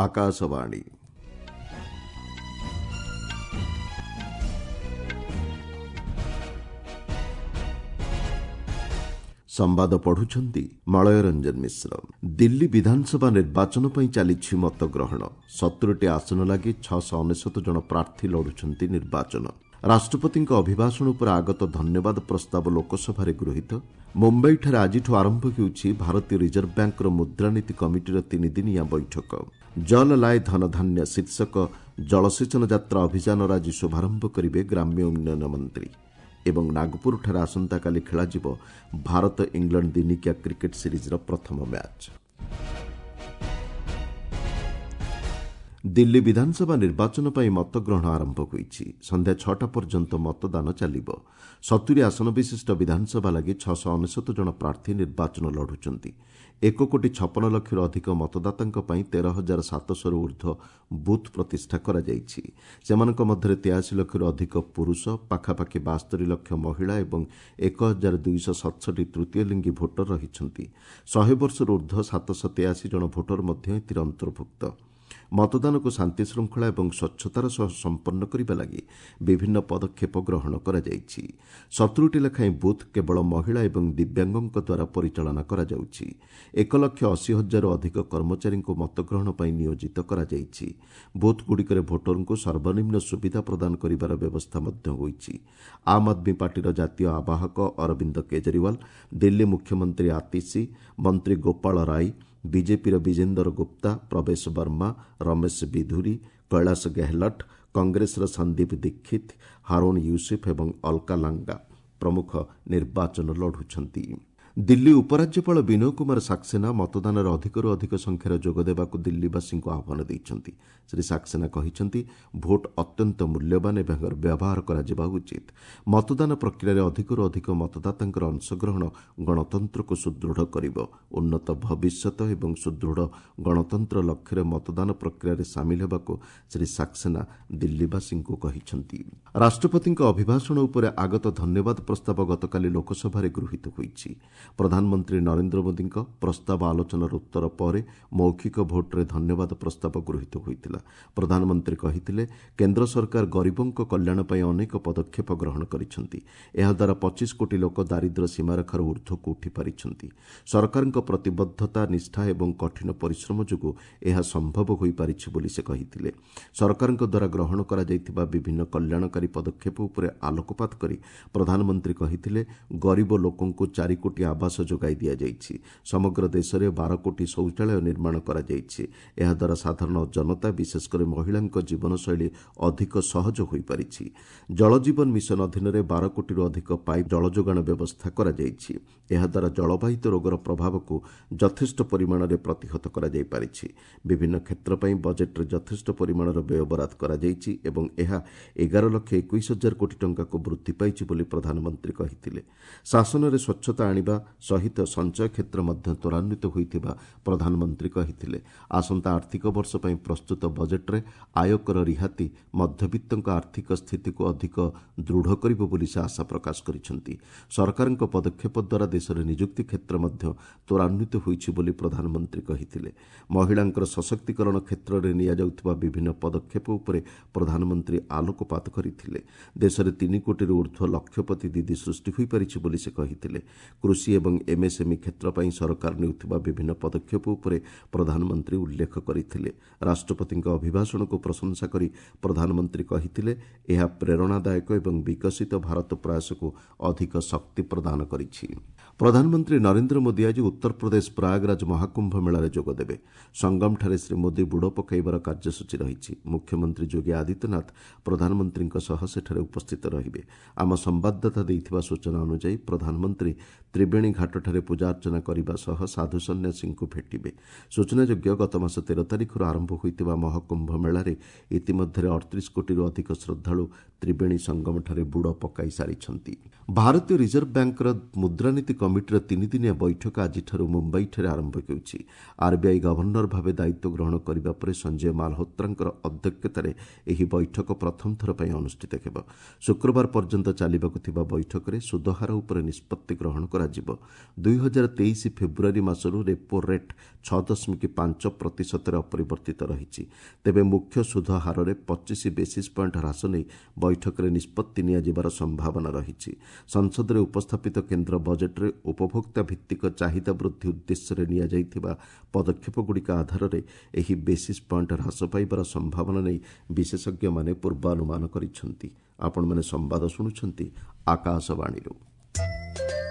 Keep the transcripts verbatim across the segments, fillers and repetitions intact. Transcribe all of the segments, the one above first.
ଆକାଶବାଣୀ। ସମ୍ବାଦ ପଢୁଛନ୍ତି ମଳୟ ରଞ୍ଜନ ମିଶ୍ର। ଦିଲ୍ଲୀ ବିଧାନସଭା ନିର୍ବାଚନ ପାଇଁ ଚାଲିଛି ମତଗ୍ରହଣ। ସତୁରିଟି ଆସନ ଲାଗି ଛଅଶହ ଅନେଶତ ଜଣ ପ୍ରାର୍ଥୀ ଲଢୁଛନ୍ତି ନିର୍ବାଚନ। ରାଷ୍ଟ୍ରପତିଙ୍କ ଅଭିଭାଷଣ ଉପରେ ଆଗତ ଧନ୍ୟବାଦ ପ୍ରସ୍ତାବ ଲୋକସଭାରେ ଗୃହୀତ। ମୁମ୍ବାଇଠାରେ ଆଜିଠୁ ଆରମ୍ଭ ହେଉଛି ଭାରତୀୟ ରିଜର୍ଭ ବ୍ୟାଙ୍କର ମୁଦ୍ରାନୀତି କମିଟିର ତିନିଦିନିଆ ବୈଠକ। ଜଲ ଲାଏ ଧନଧାନ୍ୟ ଶୀର୍ଷକ ଜଳସେଚନ ଯାତ୍ରା ଅଭିଯାନର ଆଜି ଶୁଭାରମ୍ଭ କରିବେ ଗ୍ରାମ୍ୟ ଉନ୍ନୟନ ମନ୍ତ୍ରୀ। ଏବଂ ନାଗପୁରଠାରେ ଆସନ୍ତାକାଲି ଖେଳାଯିବ ଭାରତ ଇଂଲଣ୍ଡ ଦିନିକିଆ କ୍ରିକେଟ୍ ସିରିଜ୍ର ପ୍ରଥମ ମ୍ୟାଚ୍। ଦିଲ୍ଲୀ ବିଧାନସଭା ନିର୍ବାଚନ ପାଇଁ ମତଗ୍ରହଣ ଆରମ୍ଭ ହୋଇଛି। ସନ୍ଧ୍ୟା ଛଅଟା ପର୍ଯ୍ୟନ୍ତ ମତଦାନ ଚାଲିବ। ସତୁରି ଆସନ ବିଶିଷ୍ଟ ବିଧାନସଭା ଲାଗି ଛଅଶହ ଅନେଶତ ଜଣ ପ୍ରାର୍ଥୀ ନିର୍ବାଚନ ଲଢୁଛନ୍ତି। ଏକ କୋଟି ଛପନ ଲକ୍ଷରୁ ଅଧିକ ମତଦାତାଙ୍କ ପାଇଁ ତେର ହଜାର ସାତଶହରୁ ଉର୍ଦ୍ଧ୍ୱ ବୁଥ୍ ପ୍ରତିଷ୍ଠା କରାଯାଇଛି। ସେମାନଙ୍କ ମଧ୍ୟରେ ତେୟାଅଶୀ ଲକ୍ଷରୁ ଅଧିକ ପୁରୁଷ, ପାଖାପାଖି ବାସ୍ତରି ଲକ୍ଷ ମହିଳା ଏବଂ ଏକ ହଜାର ଦୁଇଶହ ସତଷଠି ତୃତୀୟ ଲିଙ୍ଗୀ ଭୋଟର ରହିଛନ୍ତି। ଶହେ ବର୍ଷରୁ ଉର୍ଦ୍ଧ୍ୱ ସାତଶହ ତେୟାଅଶୀ ଜଣ ଭୋଟର ମଧ୍ୟ ଏଥିରେ ଅନ୍ତର୍ଭୁକ୍ତ। ମତଦାନକୁ ଶାନ୍ତିଶୃଙ୍ଖଳା ଏବଂ ସ୍ୱଚ୍ଛତାର ସହ ସମ୍ପନ୍ନ କରିବା ଲାଗି ବିଭିନ୍ନ ପଦକ୍ଷେପ ଗ୍ରହଣ କରାଯାଇଛି। ସତୁରିଟି ଲେଖାଏଁ ବୁଥ୍ କେବଳ ମହିଳା ଏବଂ ଦିବ୍ୟାଙ୍ଗଙ୍କ ଦ୍ୱାରା ପରିଚାଳନା କରାଯାଉଛି। ଏକ ଲକ୍ଷ ଅଶୀ ହଜାରରୁ ଅଧିକ କର୍ମଚାରୀଙ୍କୁ ମତଗ୍ରହଣ ପାଇଁ ନିୟୋଜିତ କରାଯାଇଛି। ବୁଥ୍ଗୁଡ଼ିକରେ ଭୋଟରଙ୍କୁ ସର୍ବନିମ୍ନ ସୁବିଧା ପ୍ରଦାନ କରିବାର ବ୍ୟବସ୍ଥା ମଧ୍ୟ ହୋଇଛି। ଆମ୍ ଆଦମୀ ପାର୍ଟିର ଜାତୀୟ ଆବାହକ ଅରବିନ୍ଦ କେଜରିୱାଲ, ଦିଲ୍ଲୀ ମୁଖ୍ୟମନ୍ତ୍ରୀ ଆତିଶୀ, ମନ୍ତ୍ରୀ ଗୋପାଳ ରାୟ, ବିଜେପିର ବିଜେନ୍ଦର ଗୁପ୍ତା, ପ୍ରବେଶ ବର୍ମା, ରମେଶ ବିଧୁରୀ, କୈଳାସ ଗେହଲଟ, କଂଗ୍ରେସର ସନ୍ଦୀପ ଦୀକ୍ଷିତ, ହାରୁଣ ୟୁସୁଫ ଏବଂ ଅଲକା ଲାଙ୍ଗା ପ୍ରମୁଖ ନିର୍ବାଚନ ଲଢୁଛନ୍ତି। ଦିଲ୍ଲୀ ଉପରାଜ୍ୟପାଳ ବିନୟ କୁମାର ସାକ୍ସେନା ମତଦାନରେ ଅଧିକରୁ ଅଧିକ ସଂଖ୍ୟାରେ ଯୋଗଦେବାକୁ ଦିଲ୍ଲୀବାସୀଙ୍କୁ ଆହ୍ୱାନ ଦେଇଛନ୍ତି। ଶ୍ରୀ ସାକ୍ସେନା କହିଛନ୍ତି, ଭୋଟ ଅତ୍ୟନ୍ତ ମୂଲ୍ୟବାନ ଏବଂ ଏହାର ବ୍ୟବହାର କରାଯିବା ଉଚିତ। ମତଦାନ ପ୍ରକ୍ରିୟାରେ ଅଧିକରୁ ଅଧିକ ମତଦାତାଙ୍କର ଅଂଶଗ୍ରହଣ ଗଣତନ୍ତ୍ରକୁ ସୁଦୃଢ଼ କରିବ। ଉନ୍ନତ ଭବିଷ୍ୟତ ଏବଂ ସୁଦୃଢ଼ ଗଣତନ୍ତ୍ର ଲକ୍ଷ୍ୟରେ ମତଦାନ ପ୍ରକ୍ରିୟାରେ ସାମିଲ ହେବାକୁ ଶ୍ରୀ ସାକ୍ସେନା ଦିଲ୍ଲୀବାସୀଙ୍କୁ କହିଛନ୍ତି। ରାଷ୍ଟ୍ରପତିଙ୍କ ଅଭିଭାଷଣ ଉପରେ ଆଗତ ଧନ୍ୟବାଦ ପ୍ରସ୍ତାବ ଗତକାଲି ଲୋକସଭାରେ ଗୃହୀତ ହୋଇଛି। ପ୍ରଧାନମନ୍ତ୍ରୀ ନରେନ୍ଦ୍ର ମୋଦିଙ୍କ ପ୍ରସ୍ତାବ ଆଲୋଚନାର ଉତ୍ତର ପରେ ମୌଖିକ ଭୋଟ୍ରେ ଧନ୍ୟବାଦ ପ୍ରସ୍ତାବ ଗୃହୀତ ହୋଇଥିଲା। ପ୍ରଧାନମନ୍ତ୍ରୀ କହିଥିଲେ, କେନ୍ଦ୍ର ସରକାର ଗରିବଙ୍କ କଲ୍ୟାଣ ପାଇଁ ଅନେକ ପଦକ୍ଷେପ ଗ୍ରହଣ କରିଛନ୍ତି। ଏହାଦ୍ୱାରା ପଚିଶ କୋଟି ଲୋକ ଦାରିଦ୍ର୍ୟ ସୀମାରେଖାରୁ ଉର୍ଦ୍ଧ୍ୱକୁ ଉଠିପାରିଛନ୍ତି। ସରକାରଙ୍କ ପ୍ରତିବଦ୍ଧତା, ନିଷ୍ଠା ଏବଂ କଠିନ ପରିଶ୍ରମ ଯୋଗୁଁ ଏହା ସମ୍ଭବ ହୋଇପାରିଛି ବୋଲି ସେ କହିଥିଲେ। ସରକାରଙ୍କ ଦ୍ୱାରା ଗ୍ରହଣ କରାଯାଇଥିବା ବିଭିନ୍ନ କଲ୍ୟାଣକାରୀ ପଦକ୍ଷେପ ଉପରେ ଆଲୋକପାତ କରି ପ୍ରଧାନମନ୍ତ୍ରୀ କହିଥିଲେ, ଗରିବ ଲୋକଙ୍କୁ ଚାରି କୋଟି ଆବାସ ଯୋଗାଇ ଦିଆଯାଇଛି। ସମଗ୍ର ଦେଶରେ ବାର କୋଟି ଶୌଚାଳୟ ନିର୍ମାଣ କରାଯାଇଛି। ଏହାଦ୍ୱାରା ସାଧାରଣ ଜନତା, ବିଶେଷ କରି ମହିଳାଙ୍କ ଜୀବନଶୈଳୀ ଅଧିକ ସହଜ ହୋଇପାରିଛି। ଜଳଜୀବନ ମିଶନ ଅଧୀନରେ ବାର କୋଟିରୁ ଅଧିକ ପାଇପ୍ ଜଳଯୋଗାଣ ବ୍ୟବସ୍ଥା କରାଯାଇଛି। ଏହାଦ୍ୱାରା ଜଳବାହିତ ରୋଗର ପ୍ରଭାବକୁ ଯଥେଷ୍ଟ ପରିମାଣରେ ପ୍ରତିହତ କରାଯାଇପାରିଛି। ବିଭିନ୍ନ କ୍ଷେତ୍ର ପାଇଁ ବଜେଟ୍ରେ ଯଥେଷ୍ଟ ପରିମାଣର ବ୍ୟୟବରାଦ କରାଯାଇଛି ଏବଂ ଏହା ଏଗାର ଲକ୍ଷ ଏକୋଇଶ ହଜାର କୋଟି ଟଙ୍କାକୁ ବୃଦ୍ଧି ପାଇଛି ବୋଲି ପ୍ରଧାନମନ୍ତ୍ରୀ କହିଥିଲେ। ଶାସନରେ ସ୍ୱଚ୍ଛତା ଆଣିବା ସହିତ ସଞ୍ଚୟ କ୍ଷେତ୍ର ମଧ୍ୟ ତ୍ୱରାନ୍ୱିତ ହୋଇଥିବା ପ୍ରଧାନମନ୍ତ୍ରୀ କହିଥିଲେ। ଆସନ୍ତା ଆର୍ଥିକ ବର୍ଷ ପାଇଁ ପ୍ରସ୍ତୁତ ବଜେଟ୍ରେ ଆୟକର ରିହାତି ମଧ୍ୟବିତ୍ତଙ୍କ ଆର୍ଥିକ ସ୍ଥିତିକୁ ଅଧିକ ଦୃଢ଼ କରିବ ବୋଲି ସେ ଆଶା ପ୍ରକାଶ କରିଛନ୍ତି। ସରକାରଙ୍କ ପଦକ୍ଷେପ ଦ୍ୱାରା ଦେଶରେ ନିଯୁକ୍ତି କ୍ଷେତ୍ର ମଧ୍ୟ ତ୍ୱରାନ୍ୱିତ ହୋଇଛି ବୋଲି ପ୍ରଧାନମନ୍ତ୍ରୀ କହିଥିଲେ। ମହିଳାଙ୍କର ସଶକ୍ତିକରଣ କ୍ଷେତ୍ରରେ ନିଆଯାଉଥିବା ବିଭିନ୍ନ ପଦକ୍ଷେପ ଉପରେ ପ୍ରଧାନମନ୍ତ୍ରୀ ଆଲୋକପାତ କରିଥିଲେ। ଦେଶରେ ତିନି କୋଟିରୁ ଉର୍ଦ୍ଧ୍ୱ ଲକ୍ଷପତି ଦିଦି ସୃଷ୍ଟି ହୋଇପାରିଛି ବୋଲି ସେ କହିଥିଲେ। କୃଷି ଏବଂ ଏମ୍ଏସ୍ଏମ୍ଇ କ୍ଷେତ୍ର ପାଇଁ ସରକାର ନେଉଥିବା ବିଭିନ୍ନ ପଦକ୍ଷେପ ଉପରେ ପ୍ରଧାନମନ୍ତ୍ରୀ ଉଲ୍ଲେଖ କରିଥିଲେ। ରାଷ୍ଟ୍ରପତିଙ୍କ ଅଭିଭାଷଣକୁ ପ୍ରଶଂସା କରି ପ୍ରଧାନମନ୍ତ୍ରୀ କହିଥିଲେ, ଏହା ପ୍ରେରଣାଦାୟକ ଏବଂ ବିକଶିତ ଭାରତ ପ୍ରୟାସକୁ ଅଧିକ ଶକ୍ତି ପ୍ରଦାନ କରିଛି। ପ୍ରଧାନମନ୍ତ୍ରୀ ନରେନ୍ଦ୍ର ମୋଦି ଆଜି ଉତ୍ତରପ୍ରଦେଶ ପ୍ରୟାଗରାଜ ମହାକୁମ୍ଭ ମେଳାରେ ଯୋଗଦେବେ। ସଙ୍ଗମଠାରେ ଶ୍ରୀ ମୋଦି ବୁଡ଼ ପକାଇବାର କାର୍ଯ୍ୟସୂଚୀ ରହିଛି। ମୁଖ୍ୟମନ୍ତ୍ରୀ ଯୋଗୀ ଆଦିତ୍ୟନାଥ ପ୍ରଧାନମନ୍ତ୍ରୀଙ୍କ ସହ ସେଠାରେ ଉପସ୍ଥିତ ରହିବେ। ଆମ ସମ୍ବାଦଦାତା ଦେଇଥିବା ସୂଚନା ଅନୁଯାୟୀ ପ୍ରଧାନମନ୍ତ୍ରୀ ତ୍ରିବେଣୀ ଘାଟଠାରେ ପୂଜାର୍ଚ୍ଚନା କରିବା ସହ ସାଧୁ ସନ୍ନ୍ୟାସୀଙ୍କୁ ଭେଟିବେ। ସୂଚନାଯୋଗ୍ୟ, ଗତମାସ ତେର ତାରିଖରୁ ଆରମ୍ଭ ହୋଇଥିବା ମହାକୁମ୍ଭ ମେଳାରେ ଇତିମଧ୍ୟରେ ଅଠତିରିଶ କୋଟିରୁ ଅଧିକ ଶ୍ରଦ୍ଧାଳୁ ତ୍ରିବେଣୀ ସଙ୍ଗମଠାରେ ବୁଡ଼ ପକାଇ ସାରିଛନ୍ତି। ଭାରତୀୟ ରିଜର୍ଭ ବ୍ୟାଙ୍କର ମୁଦ୍ରାନୀତି କମିଟି କମିଟିର ତିନିଦିନିଆ ବୈଠକ ଆଜିଠାରୁ ମୁମ୍ବାଇଠାରେ ଆରମ୍ଭ ହେଉଛି। ଆର୍ବିଆଇ ଗଭର୍ଣ୍ଣର ଭାବେ ଦାୟିତ୍ୱ ଗ୍ରହଣ କରିବା ପରେ ସଞ୍ଜୟ ମାଲହୋତ୍ରାଙ୍କର ଅଧ୍ୟକ୍ଷତାରେ ଏହି ବୈଠକ ପ୍ରଥମ ଥର ପାଇଁ ଅନୁଷ୍ଠିତ ହେବ। ଶୁକ୍ରବାର ପର୍ଯ୍ୟନ୍ତ ଚାଲିବାକୁ ଥିବା ବୈଠକରେ ସୁଧହାର ଉପରେ ନିଷ୍ପତ୍ତି ଗ୍ରହଣ କରାଯିବ। ଦୁଇ ହଜାର ତେଇଶ ଫେବୃଆରୀ ମାସରୁ ରେପୋ ରେଟ୍ ଛଅ ଦଶମିକ ପାଞ୍ଚ ପ୍ରତିଶତରେ ଅପରିବର୍ତ୍ତିତ ରହିଛି। ତେବେ ମୁଖ୍ୟ ସୁଧ ହାରରେ ପଚିଶ ବେସିସ୍ ପଏଣ୍ଟ ହ୍ରାସ ନେଇ ବୈଠକରେ ନିଷ୍ପତ୍ତି ନିଆଯିବାର ସମ୍ଭାବନା ରହିଛି। ସଂସଦରେ ଉପସ୍ଥାପିତ କେନ୍ଦ୍ର ବଜେଟ୍ରେ ଉପଭୋକ୍ତା ଭିତ୍ତିକ ଚାହିଦା ବୃଦ୍ଧି ଉଦ୍ଦେଶ୍ୟରେ ନିଆଯାଇଥିବା ପଦକ୍ଷେପଗୁଡ଼ିକ ଆଧାରରେ ଏହି ବେସିସ୍ ପଏଣ୍ଟ ହ୍ରାସ ପାଇବାର ସମ୍ଭାବନା ନେଇ ବିଶେଷଜ୍ଞମାନେ ପୂର୍ବାନୁମାନ କରିଛନ୍ତି। ଆପଣମାନେ ସମ୍ବାଦ ଶୁଣୁଛନ୍ତି ଆକାଶବାଣୀରୁ।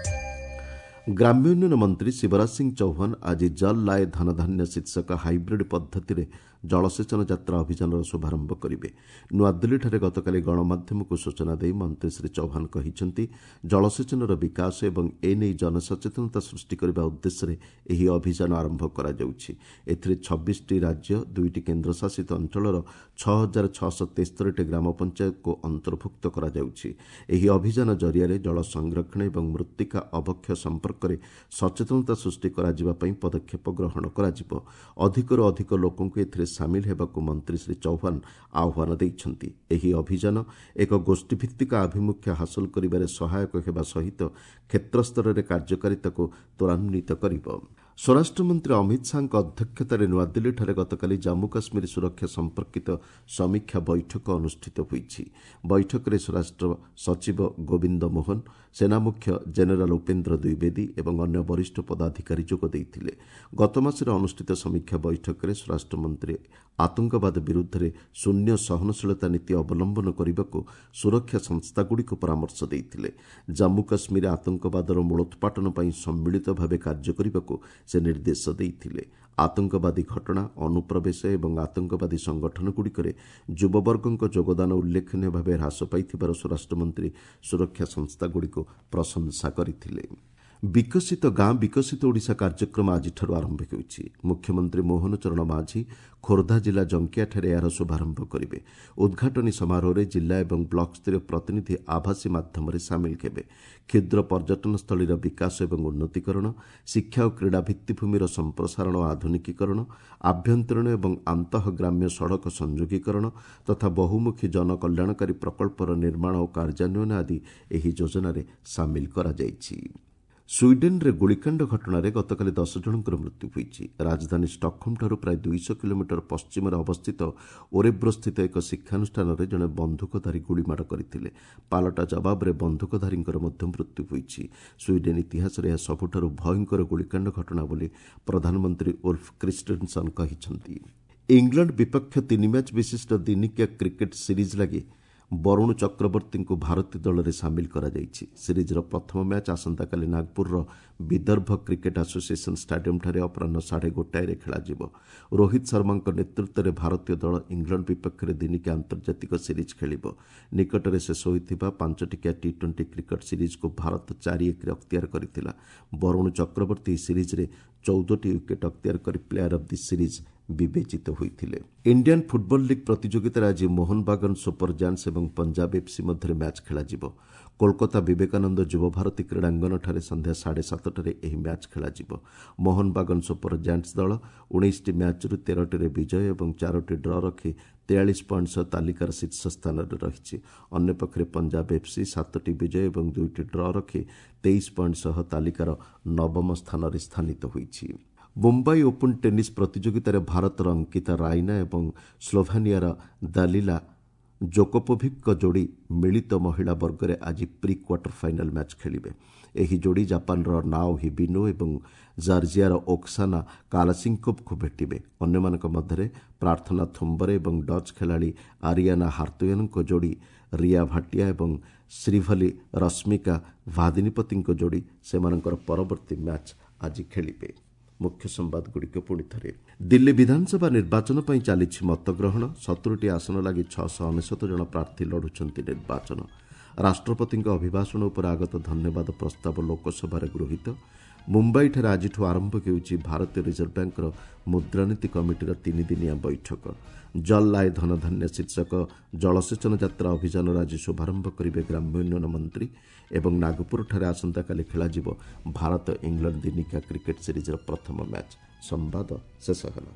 ଗ୍ରାମ୍ୟ ଉନ୍ନୟନ ମନ୍ତ୍ରୀ ଶିବରାଜ ସିଂ ଚୌହାନ ଆଜି ଜଲ୍ ଲାଏ ଧନଧାନ୍ୟ ଶୀର୍ଷକ ହାଇବ୍ରିଡ୍ ପଦ୍ଧତିରେ ଜଳସେଚନ ଯାତ୍ରା ଅଭିଯାନର ଶୁଭାରମ୍ଭ କରିବେ। ନୂଆଦିଲ୍ଲୀଠାରେ ଗତକାଲି ଗଣମାଧ୍ୟମକୁ ସୂଚନା ଦେଇ ମନ୍ତ୍ରୀ ଶ୍ରୀ ଚୌହାନ କହିଛନ୍ତି, ଜଳସେଚନର ବିକାଶ ଏବଂ ଏନେଇ ଜନସଚେତନତା ସୃଷ୍ଟି କରିବା ଉଦ୍ଦେଶ୍ୟରେ ଏହି ଅଭିଯାନ ଆରମ୍ଭ କରାଯାଉଛି। ଏଥିରେ ଛବିଶଟି ରାଜ୍ୟ, ଦୁଇଟି କେନ୍ଦ୍ରଶାସିତ ଅଞ୍ଚଳର ଛଅ ହଜାର ଛଅଶହ ତେସ୍ତରୀଟି ଗ୍ରାମ ପଞ୍ଚାୟତକୁ ଅନ୍ତର୍ଭୁକ୍ତ କରାଯାଉଛି। ଏହି ଅଭିଯାନ ଜରିଆରେ ଜଳ ସଂରକ୍ଷଣ ଏବଂ ମୃତ୍ତିକା ଅବକ୍ଷୟ ସମ୍ପର୍କରେ ସଚେତନତା ସୃଷ୍ଟି କରାଯିବା ପାଇଁ ପଦକ୍ଷେପ ଗ୍ରହଣ କରାଯିବ। ଅଧିକରୁ ଅଧିକ ଲୋକଙ୍କୁ ଏଥିରେ ସାମିଲ ହେବାକୁ ମନ୍ତ୍ରୀ ଶ୍ରୀ ଚୌହାନ ଆହ୍ୱାନ ଦେଇଛନ୍ତି। ଏହି ଅଭିଯାନ ଏକ ଗୋଷ୍ଠୀଭିତ୍ତିକ ଆଭିମୁଖ୍ୟ ହାସଲ କରିବାରେ ସହାୟକ ହେବା ସହିତ କ୍ଷେତ୍ରସ୍ତରରେ କାର୍ଯ୍ୟକାରିତାକୁ ତ୍ୱରାନ୍ୱିତ କରିବ। ସ୍ୱରାଷ୍ଟ୍ରମନ୍ତ୍ରୀ ଅମିତ ଶାହାଙ୍କ ଅଧ୍ୟକ୍ଷତାରେ ନୂଆଦିଲ୍ଲୀଠାରେ ଗତକାଲି ଜାମ୍ମୁ କାଶ୍ମୀର ସୁରକ୍ଷା ସମ୍ପର୍କିତ ସମୀକ୍ଷା ବୈଠକ ଅନୁଷ୍ଠିତ ହୋଇଛି। ବୈଠକରେ ସ୍ୱରାଷ୍ଟ୍ର ସଚିବ ଗୋବିନ୍ଦ ମୋହନ, ସେନାମୁଖ୍ୟ ଜେନେରାଲ ଉପେନ୍ଦ୍ର ଦ୍ୱିବେଦୀ ଏବଂ ଅନ୍ୟ ବରିଷ୍ଠ ପଦାଧିକାରୀ ଯୋଗ ଦେଇଥିଲେ। ଗତମାସରେ ଅନୁଷ୍ଠିତ ସମୀକ୍ଷା ବୈଠକରେ ସ୍ୱରାଷ୍ଟ୍ରମନ୍ତ୍ରୀ ଆତଙ୍କବାଦ ବିରୁଦ୍ଧରେ ଶୂନ୍ୟ ସହନଶୀଳତା ନୀତି ଅବଲମ୍ବନ କରିବାକୁ ସୁରକ୍ଷା ସଂସ୍ଥାଗୁଡ଼ିକୁ ପରାମର୍ଶ ଦେଇଥିଲେ। ଜାମ୍ମୁ କାଶ୍ମୀର ଆତଙ୍କବାଦର ମୂଳୋତ୍ପାଟନ ପାଇଁ ସମ୍ମିଳିତ ଭାବେ କାର୍ଯ୍ୟ କରିବାକୁ ସେ ନିର୍ଦ୍ଦେଶ ଦେଇଥିଲେ। ଆତଙ୍କବାଦୀ ଘଟଣା, ଅନୁପ୍ରବେଶ ଏବଂ ଆତଙ୍କବାଦୀ ସଂଗଠନଗୁଡ଼ିକରେ ଯୁବବର୍ଗଙ୍କ ଯୋଗଦାନ ଉଲ୍ଲେଖନୀୟ ଭାବେ ହ୍ରାସ ପାଇଥିବାର ସ୍ୱରାଷ୍ଟ୍ରମନ୍ତ୍ରୀ ସୁରକ୍ଷା ସଂସ୍ଥାଗୁଡ଼ିକୁ ପ୍ରଶଂସା କରିଥିଲେ। ବିକଶିତ ଗାଁ ବିକଶିତ ଓଡ଼ିଶା କାର୍ଯ୍ୟକ୍ରମ ଆଜିଠାରୁ ଆରମ୍ଭ ହେଉଛି। ମୁଖ୍ୟମନ୍ତ୍ରୀ ମୋହନ ଚରଣ ମାଝୀ ଖୋର୍ଦ୍ଧା ଜିଲ୍ଲା ଜଙ୍କିଆଠାରେ ଏହାର ଶୁଭାରମ୍ଭ କରିବେ। ଉଦ୍ଘାଟନୀ ସମାରୋହରେ ଜିଲ୍ଲା ଏବଂ ବ୍ଲକସ୍ତରୀୟ ପ୍ରତିନିଧି ଆଭାସୀ ମାଧ୍ୟମରେ ସାମିଲ ହେବେ। କ୍ଷୁଦ୍ର ପର୍ଯ୍ୟଟନସ୍ଥଳୀର ବିକାଶ ଏବଂ ଉନ୍ନତିକରଣ, ଶିକ୍ଷା ଓ କ୍ରୀଡ଼ା ଭିତ୍ତିଭୂମିର ସମ୍ପ୍ରସାରଣ ଓ ଆଧୁନିକୀକରଣ, ଆଭ୍ୟନ୍ତରୀଣ ଏବଂ ଆନ୍ତଃଗ୍ରାମ୍ୟ ସଡ଼କ ସଂଯୋଗୀକରଣ ତଥା ବହୁମୁଖୀ ଜନକଲ୍ୟାଣକାରୀ ପ୍ରକଳ୍ପର ନିର୍ମାଣ ଓ କାର୍ଯ୍ୟାନ୍ୱୟନ ଆଦି ଏହି ଯୋଜନାରେ ସାମିଲ କରାଯାଇଛି। ସ୍ୱିଡେନ୍ରେ ଗୁଳିକାଣ୍ଡ ଘଟଣାରେ ଗତକାଲି ଦଶ ଜଣଙ୍କର ମୃତ୍ୟୁ ହୋଇଛି। ରାଜଧାନୀ ଷ୍ଟକହୋମ୍ଠାରୁ ପ୍ରାୟ ଦୁଇଶହ କିଲୋମିଟର ପଶ୍ଚିମରେ ଅବସ୍ଥିତ ଓରେବ୍ରୋସ୍ଥିତ ଏକ ଶିକ୍ଷାନୁଷ୍ଠାନରେ ଜଣେ ବନ୍ଧୁକଧାରୀ ଗୁଳିମାଡ଼ କରିଥିଲେ। ପାଲଟା ଜବାବରେ ବନ୍ଧୁକଧାରୀଙ୍କର ମଧ୍ୟ ମୃତ୍ୟୁ ହୋଇଛି। ସ୍ୱିଡେନ୍ ଇତିହାସରେ ଏହା ସବୁଠାରୁ ଭୟଙ୍କର ଗୁଳିକାଣ୍ଡ ଘଟଣା ବୋଲି ପ୍ରଧାନମନ୍ତ୍ରୀ ଉଲ୍ଫ କ୍ରିଷ୍ଟେନସନ୍ କହିଛନ୍ତି। ଇଂଲଣ୍ଡ ବିପକ୍ଷ ତିନି ମ୍ୟାଚ୍ ବିଶିଷ୍ଟ ଦିନିକିଆ କ୍ରିକେଟ୍ ସିରିଜ୍ ଲାଗି ବରୁଣ ଚକ୍ରବର୍ତ୍ତୀଙ୍କୁ ଭାରତୀୟ ଦଳରେ ସାମିଲ କରାଯାଇଛି। ସିରିଜ୍ର ପ୍ରଥମ ମ୍ୟାଚ୍ ଆସନ୍ତାକାଲି ନାଗପୁରର ବିଦର୍ଭ କ୍ରିକେଟ୍ ଆସୋସିଏସନ୍ ଷ୍ଟାଡିୟମ୍ଠାରେ ଅପରାହ୍ନ ସାଢ଼େ ଗୋଟାଏରେ ଖେଳାଯିବ। ରୋହିତ ଶର୍ମାଙ୍କ ନେତୃତ୍ୱରେ ଭାରତୀୟ ଦଳ ଇଂଲଣ୍ଡ ବିପକ୍ଷରେ ଦିନିକିଆ ଆନ୍ତର୍ଜାତିକ ସିରିଜ୍ ଖେଳିବ। ନିକଟରେ ଶେଷ ହୋଇଥିବା ପାଞ୍ଚଟିକିଆ ଟି ଟ୍ୱେଣ୍ଟି କ୍ରିକେଟ୍ ସିରିଜ୍କୁ ଭାରତ ଚାରି ଏକରେ ଅକ୍ତିଆର କରିଥିଲା। ବରୁଣ ଚକ୍ରବର୍ତ୍ତୀ ଏହି ସିରିଜ୍ରେ ଚଉଦଟି ୱିକେଟ୍ ଅକ୍ତିଆର କରି ପ୍ଲେୟାର ଅଫ୍ the series ବିବେଚିତ ହୋଇଥିଲେ। ଇଣ୍ଡିଆନ୍ ଫୁଟବଲ୍ ଲିଗ୍ ପ୍ରତିଯୋଗିତାରେ ଆଜି ମୋହନବାଗନ ସୁପର ଜାୟାଣ୍ଟସ୍ ଏବଂ ପଞ୍ଜାବ ଏଫ୍ସି ମଧ୍ୟରେ ମ୍ୟାଚ୍ ଖେଳାଯିବ। କୋଲକାତା ବିବେକାନନ୍ଦ ଯୁବଭାରତୀ କ୍ରୀଡ଼ାଙ୍ଗନଠାରେ ସନ୍ଧ୍ୟା ସାଢ଼େ ସାତଟାରେ ଏହି ମ୍ୟାଚ୍ ଖେଳାଯିବ। ମୋହନବାଗନ ସୁପର ଜାୟାଣ୍ଟସ୍ ଦଳ ଉଣେଇଶଟି ମ୍ୟାଚ୍ରୁ ତେରଟିରେ ବିଜୟ ଏବଂ ଚାରୋଟି ଡ୍ର ରଖି ତେୟାଳିଶ ପଏଣ୍ଟ ସହ ତାଲିକାର ଶୀର୍ଷ ସ୍ଥାନରେ ରହିଛି। ଅନ୍ୟପକ୍ଷରେ ପଞ୍ଜାବ ଏଫ୍ସି ସାତଟି ବିଜୟ ଏବଂ ଦୁଇଟି ଡ୍ର ରଖି ତେଇଶ ପଏଣ୍ଟ ସହ ତାଲିକାର ନବମ ସ୍ଥାନରେ ସ୍ଥାନିତ ହୋଇଛି। ମୁମ୍ବାଇ ଓପନ୍ ଟେନିସ୍ ପ୍ରତିଯୋଗିତାରେ ଭାରତର ଅଙ୍କିତା ରାଇନା ଏବଂ ସ୍ଲୋଭାନିଆର ଦାଲିଲା ଜୋକୋପୋଭିକ୍ଙ୍କ ଯୋଡ଼ି ମିଳିତ ମହିଳା ବର୍ଗରେ ଆଜି ପ୍ରି କ୍ୱାର୍ଟର ଫାଇନାଲ୍ ମ୍ୟାଚ୍ ଖେଳିବେ। ଏହି ଯୋଡ଼ି ଜାପାନର ନାଓ ହିବିନୋ ଏବଂ ଜର୍ଜିଆର ଓକ୍ସାନା କାଲାସିଙ୍କୋଭ୍ଙ୍କୁ ଭେଟିବେ। ଅନ୍ୟମାନଙ୍କ ମଧ୍ୟରେ ପ୍ରାର୍ଥନା ଥୁମ୍ବରେ ଏବଂ ଡଚ୍ ଖେଳାଳି ଆରିଆନା ହାର୍ତୋୟାନଙ୍କ ଯୋଡ଼ି ରିୟା ଭାଟିଆ ଏବଂ ଶ୍ରୀଭଲି ରଶ୍ମିକା ଭାଦିନୀପତିଙ୍କ ଯୋଡ଼ି ସେମାନଙ୍କର ପରବର୍ତ୍ତୀ ମ୍ୟାଚ୍ ଆଜି ଖେଳିବେ। ମୁଖ୍ୟ ସମ୍ବାଦଗୁଡ଼ିକ ପୁଣି ଥରେ। ଦିଲ୍ଲୀ ବିଧାନସଭା ନିର୍ବାଚନ ପାଇଁ ଚାଲିଛି ମତଗ୍ରହଣ। ସତୁରିଟି ଆସନ ଲାଗି ଛଅଶହ ଅନେଶତ ଜଣ ପ୍ରାର୍ଥୀ ଲଢ଼ୁଛନ୍ତି ନିର୍ବାଚନ। ରାଷ୍ଟ୍ରପତିଙ୍କ ଅଭିଭାଷଣ ଉପରେ ଆଗତ ଧନ୍ୟବାଦ ପ୍ରସ୍ତାବ ଲୋକସଭାରେ ଗୃହୀତ। ମୁମ୍ବାଇଠାରେ ଆଜିଠୁ ଆରମ୍ଭ ହେଉଛି ଭାରତୀୟ ରିଜର୍ଭ ବ୍ୟାଙ୍କର ମୁଦ୍ରାନୀତି କମିଟିର ତିନିଦିନିଆ ବୈଠକ। ଜଲ୍ ଲାଏ ଧନଧାନ୍ୟ ଶୀର୍ଷକ ଜଳସେଚନ ଯାତ୍ରା ଅଭିଯାନର ଆଜି ଶୁଭାରମ୍ଭ କରିବେ ଗ୍ରାମ୍ୟ ଉନ୍ନୟନ ମନ୍ତ୍ରୀ। ଏବଂ ନାଗପୁରଠାରେ ଆସନ୍ତାକାଲି ଖେଳାଯିବ ଭାରତ ଇଂଲଣ୍ଡ ଦିନିକିଆ କ୍ରିକେଟ୍ ସିରିଜ୍ର ପ୍ରଥମ ମ୍ୟାଚ୍। ସମ୍ବାଦ ଶେଷ ହେଲା।